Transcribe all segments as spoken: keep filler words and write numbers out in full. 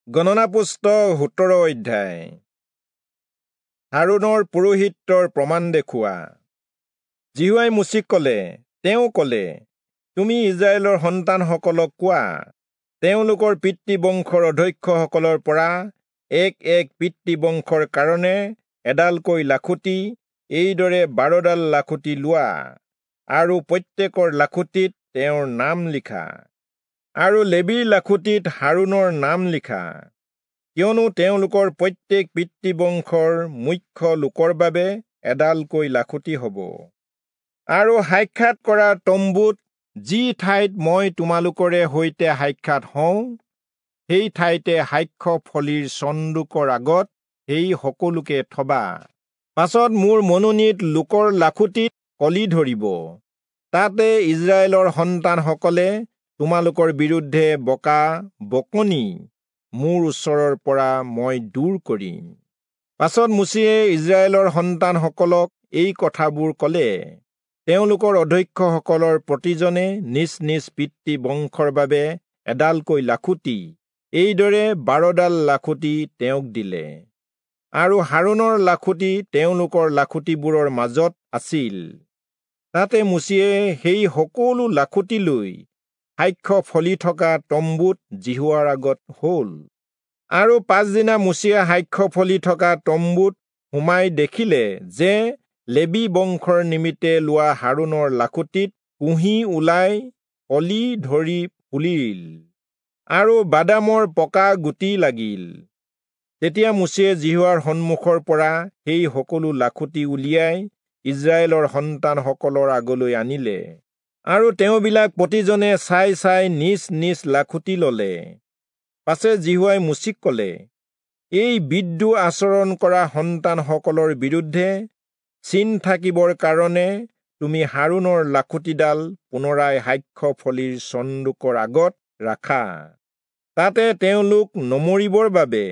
গণনা পুস্তক সোতৰ অধ্যায়। হাৰোণৰ পুৰোহিত্যৰ প্ৰমাণ দেখুওৱা। যিহোৱাই মোচিক কলে, তেওঁ কলে, তুমি ইস্ৰায়েলৰ সন্তানসকলক কোৱা, তেওঁলোকৰ পিতৃবংশৰ অধ্যক্ষসকলৰ পৰা এক এক পিতৃবংশৰ কাৰণে এডালকৈ লাখুটি, এইদৰে বাৰডাল লাখুটি লোৱা, আৰু প্ৰত্যেকৰ লাখুটিত তেওঁৰ নাম লিখা, আৰু লেবীৰ লাখুটিত হাৰোণৰ নাম লিখা, কিয়নো তেওঁলোকৰ প্ৰত্যেক পিতৃবংশৰ মুখ্য লোকৰ বাবে এডালকৈ লাখুটি হ'ব। আৰু সাক্ষাৎ কৰা তম্বুত যি ঠাইত মই তোমালোকৰে সৈতে সাক্ষাৎ হওঁ, সেই ঠাইতে সাক্ষ্য ফলিৰ চন্দুকৰ আগত সেই সকলোকে থবা। পাছত মোৰ মনোনীত লোকৰ লাখুটিত কলি ধৰিব, তাতে ইস্ৰায়েলৰ সন্তানসকলে তোমালোকৰ বিৰুদ্ধে বকা বকনি মোৰ ওচৰৰ পৰা মই দূৰ কৰিম। পাছত মোচিয়ে ইস্ৰায়েলৰ সন্তানসকলক এই কথাবোৰ কলে। তেওঁলোকৰ অধ্যক্ষসকলৰ প্ৰতিজনে নিজ নিজ পিতৃ বংশৰ বাবে এডালকৈ লাখুটি, এইদৰে বাৰডাল লাখুটি তেওঁক দিলে। আৰু হাৰোণৰ লাখুটি তেওঁলোকৰ লাখুটিবোৰৰ মাজত আছিল। তাতে মোচিয়ে সেই সকলো লাখুটি লৈ সাক্ষ্য ফলি থকা তম্বুত যিহোৱাৰ আগত হ'ল। আৰু পাছদিনা মোচিয়ে সাক্ষ্য ফলি থকা তম্বুত সোমাই দেখিলে যে লেবী বংশৰ নিমিত্তে লোৱা হাৰোণৰ লাখুটিত কুঁহি ওলাই কলি ধৰি ফুলিল, আৰু বাদামৰ পকা গুটি লাগিল। তেতিয়া মোচিয়ে যিহোৱাৰ সন্মুখৰ পৰা সেই সকলো লাখুটি উলিয়াই ইস্ৰায়েলৰ সন্তানসকলৰ আগলৈ আনিলে, আৰু তেওঁবিলাক প্ৰতিজনে চাই চাই নিজ নিজ লাখুটি ললে। পাছে যিহোৱাই মোচিক কলে, এই বিদ্ৰোহ আচৰণ কৰা সন্তানসকলৰ বিৰুদ্ধে চিন থাকিবৰ কাৰণে তুমি হাৰোণৰ লাখুটিডাল পুনৰাই সাক্ষ্য ফলিৰ চন্দুকৰ আগত ৰাখা, তাতে তেওঁলোক নমৰিবৰ বাবে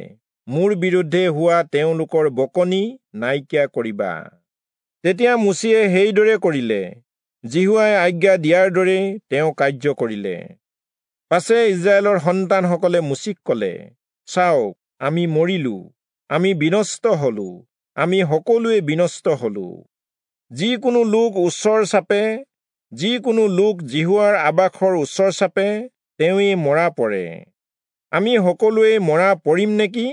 মোৰ বিৰুদ্ধে হোৱা তেওঁলোকৰ বকনি নাইকিয়া কৰিবা। তেতিয়া মোচিয়ে সেইদৰে কৰিলে, যিহোৱাই আজ্ঞা দিয়াৰ দৰেই তেওঁ কাৰ্য কৰিলে। পাছে ইস্ৰায়েলৰ সন্তানসকলে মোচিক কলে, চাওক, আমি মৰিলো, আমি বিনষ্ট হলো, আমি সকলোৱে বিনষ্ট হলো। যিকোনো লোক ওচৰ চাপে, যিকোনো লোক যিহোৱাৰ আবাসৰ ওচৰ চাপে, তেওঁৱেই মৰা পৰে। আমি সকলোৱে মৰা পৰিম নেকি?